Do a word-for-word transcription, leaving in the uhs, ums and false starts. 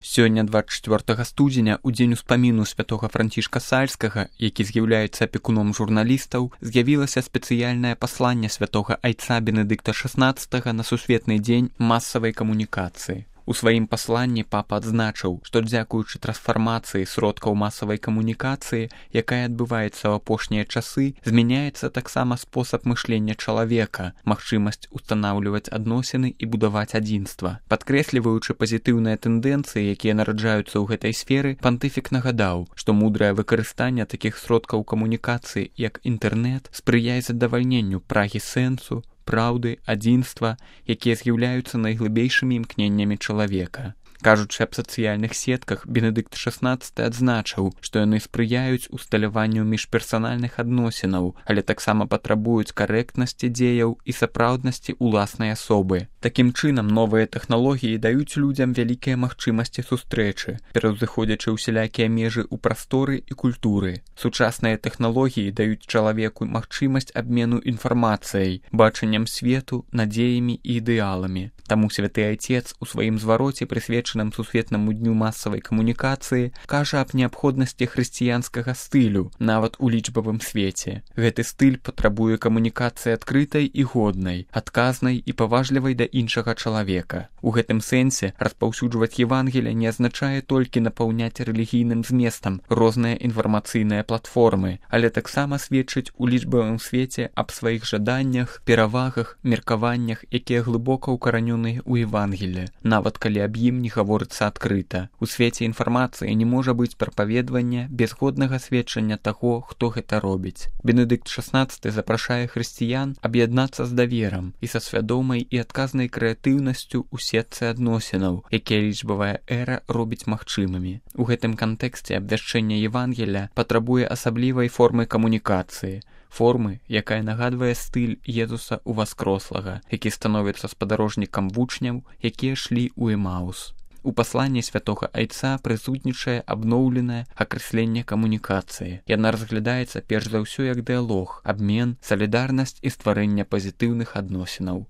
Сёння двадцать четвёртага студзеня, у дзень успаміну святога Францішка Сальскага, які з'яўляецца апекуном журналістаў, з'явілася спецыяльнае пасланне святога айца Бенедыкта шаснаццатага на сусветны дзень масавай камунікацыі. У сваім пасланні папа адзначыў, што дзякуючы трансфармацыі сродкаў масавай камунікацыі, якая адбываецца ў апошнія часы, змяняецца таксама спосаб мышлення чалавека, магчымасць устанаўліваць адносіны і будаваць адзінства. Падкрэсліваючы пазітыўныя тэндэнцыі, якія нараджаюцца ў гэтай сферы, пантыфік нагадаў, што мудрае выкарыстанне такіх сродкаў камунікацыі, як інтэрнэт, спрыяе задавальненню прагі сэнсу, праўды, адзінства, якія з'яўляюцца найглыбейшымі імкненнямі чалавека. Кажучы аб сацыяльных сетках, Бенедыкт шаснаццаты адзначыў, што яны спрыяюць усталяванню міжперсанальных адносінаў, але таксама патрабуюць карэктнасці дзеяў і сапраўднасці ўласнай асобы. Такім чынам, новыя тэхналогіі даюць людзям вялікія магчымасці сустрэчы, пераўзыходзячы ўсялякія межы ў прасторы і культуры. Сучасныя тэхналогіі даюць чалавеку магчымасць абмену інфармацыяй, бачаннем свету, надзеямі і ідэаламі. Таму святы айцец у сваім звароце, прысвечаным сусветнаму дню масавай камунікацыі, кажа аб неабходнасці хрысціянскага стылю, нават у лічбавым свеце. Гэты стыль патрабуе камунікацыі адкрытай і годнай, адказнай і паважлівай да іншага чалавека. У гэтым сэнсе распаўсюджваць Евангелие не азначае толькі напаўняць рэлігійным зместам розныя інфармацыйныя платформы, але таксама сведчыць у лічбавым свеце аб сваіх жаданнях, перавагах, меркаваннях, якія глыбока ўкаранёны у Евангелие, нават калі аб ім не гаворыцца адкрыта. У свеце інфармацыі не можа быць прапаведвання без годнага сведчання таго, хто гэта робіць. Бенедыкт шаснаццаты запрашае хрысціян аб'яднацца з даверам і са свядомай і адказнай крэатыўнасцю ў сетцы адносінаў, якія лічбавая эра робіць магчымымі. У гэтым кантэксце абвяшчэнне Евангелия патрабуе асаблівай формы камунікацыі, формы, якая нагадвае стыль Езуса Уваскрослага, які становіцца спадарожнікам вучняў, якія шлі ў Эмаус. У пасланні святога айца прысутнічае абноўленае акрэсленне камунікацыі. Яна разглядаецца перш за ўсё як дыялог, абмен, салідарнасць і стварэнне пазітыўных адносінаў.